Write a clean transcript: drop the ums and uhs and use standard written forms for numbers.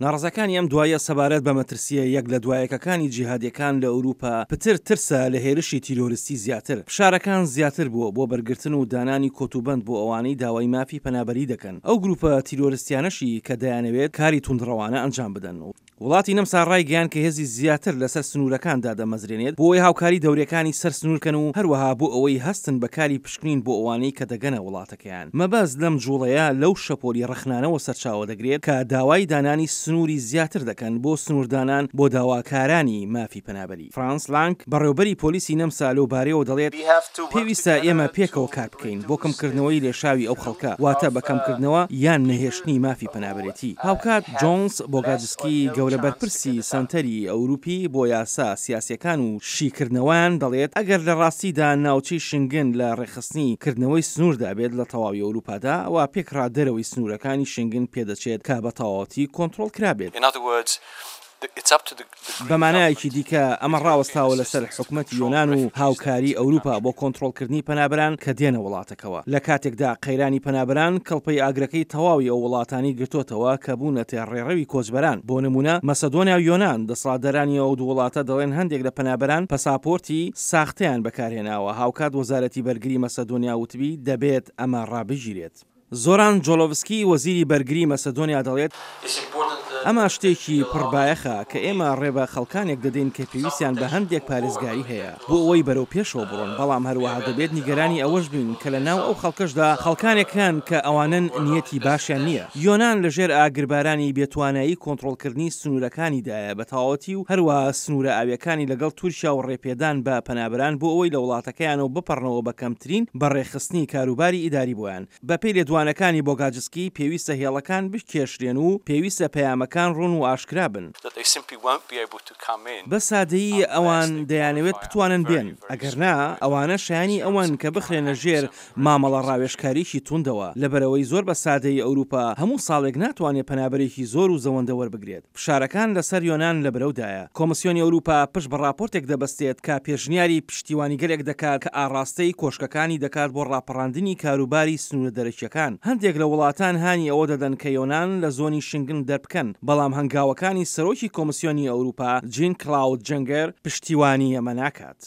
ناڕەزاکانی ئەم دواییە سەبارەت بە مەترسییە یەک لە دوایەکەکانی جیهادیەکان لە ئەوروپا پتر ترسە لە هێرشی تیرۆریستی زیاتر، فشارەکان زیاتر بووە بۆ بەرگرتن و دانانی کۆتوبەند بۆ ئەوانەی داوای مافی پەنابەری دەکەن، ئەو گروپە تیرۆرستیانەشی کە دەیانەوێت کاری توندڕەوانە ئەنجام بدەن. وڵاتی نەمسا ڕایگەیاند کە هێزی زیاتر لەسەر سنوورەکان دادەمەزرێنێت بۆ ئەوەی هاوکاری دەوریەکانی سەر سنوور بکەن و هەروەها بۆ ئەوەی هەستن بە کاری پشکنین بۆ ئەوانەی کە دەگەنە وڵاتەکەیان. مەبەست لەم جوڵەیە لەو شەپۆلی ڕەخنانەوە سەرچاوە دەگرێت کە داوای دانانی سنووری زیاتر دەکەن بۆ سنووردانان بۆ داواکارانی مافی پەنابەری. فرانس لانگ، بەڕێوبەری پۆلیسی نەمسا لەو بارەیەوە دەڵێت، پێویستە ئێمە پێکەوە کار بکەین بۆ کەمکردنەوەی لێشاوی ئەو خەڵکە، واتە بە کەمکردنەوە یان نەهێشتنی مافی پەنابەرێتی. هاوکات جۆنس بۆگاجسکی گەورە بەرپرسی سەنتەری ئەوروپی بۆ یاسا سیاسیەکان و شیکردنەوەیان دەڵێت، ئەگەر لە ڕاستیدا ناوچەی شنگن لە ڕێکخستنی کردنەوەی سنووردا بێت لە تەواوی ئەوروپادا، ئەوا پێکڕا دەرەوەی سنوورەکانی شنگن پێدەچێت کە بە تەواوەتی کۆنتڕۆڵ کرابێت. بە مانایەکی دیکە ئەمە ڕاوەستاوە لەسەر حکومەتی یۆنان و هاوکاری ئەوروپا بۆ کۆنتڕۆڵکردنی پەنابەران کە دێنە وڵاتەکەوە، لە کاتێکدا قەیرانی پەنابەران کڵپەی ئاگرەکەی تەواوی ئەو وڵاتانەی گرتۆتەوە کە بوونەتە ڕێڕەوی کۆچبەران، بۆ نموونە مەسەدۆنیا و یۆنان، دەسەڵاتدارانی ئەو دوو وڵاتە دەڵێن هەندێک لە پەنابەران پەساپۆرتی ساختەیان بەکارهێناوە، هاوکات وەزارەتی بەرگری مەسەدۆنیا وتبی دەبێت ئەمە ڕابگیرێت. زۆران جۆلۆڤسکی، وەزیری بەرگری مەسەدۆنیا دەڵێت، ئەمە شتێکی پڕ بایەخە کە ئێمە ڕێ بە خەڵکانێک دەدەین کە پێویستیان بە هەندێک پارێزگاری هەیە بۆ ئەوەی بەرەو پێشەوە بڕۆن، بەڵام هەروەها دەبێت نیگەرانی ئەوەش بین کە لە ناو ئەو خەڵکەشدا خەڵکانێک هەن کە ئەوانەن نیەتی باشیان نییە. یۆنان لە ژێر ئاگربارانی بێتوانایی کۆنتڕۆڵکردنی سنوورەکانیدایە بە تەواوەتی و هەروەها سنوورە ئاوییەکانی لەگەڵ تورکیا و ڕێپێدان بە پەنابەران بۆ ئەوەی لە وڵاتەکەیانەوە بپەڕنەوە بە کەمترین بەڕێخستنی کاروباری ئیداری بۆیان. بەپێی لێدوانەکانی بۆگاجسکی، پێویستە هێڵەکان بکێشرێن و پێویستە پەیامەکان ڕوون و ئاشکرا بن. بە سادەیی ئەوان دەیانەوێت بتوانن بێن، ئەگەر نا، ئەوانە شایانی ئەوەن کە بخرێنە ژێر مامەڵە ڕاوێژکاریی توندەوە، لەبەرئەوەی زۆر بە سادەیی ئەوروپا هەموو ساڵێک ناتوانێت پەنابەرێکی زۆر و زەوەندە وەربگرێت. فشارەکان لەسەر یۆنان لە برەودایە. کۆمسیۆنی ئەوروپا پشت بە ڕاپۆرتێک دەبەستێت کە پێشنیاری پشتیوانیگەلێک دەکات کە ئاڕاستەی کۆشکەکانی دەکات بۆ ڕاپەڕاندنی کاروباری سنوورە دەرەکییەکان. هەندێک لە وڵاتان هانی ئەوە دەدەن کە یۆنان لە زۆنی شنگن دەربکەن، بەڵام هەنگاوەکانی سەرۆکی کۆمسیۆنی ئەوروپا جین کلاود جەنگەر پشتیوانی ئەمە ناکات.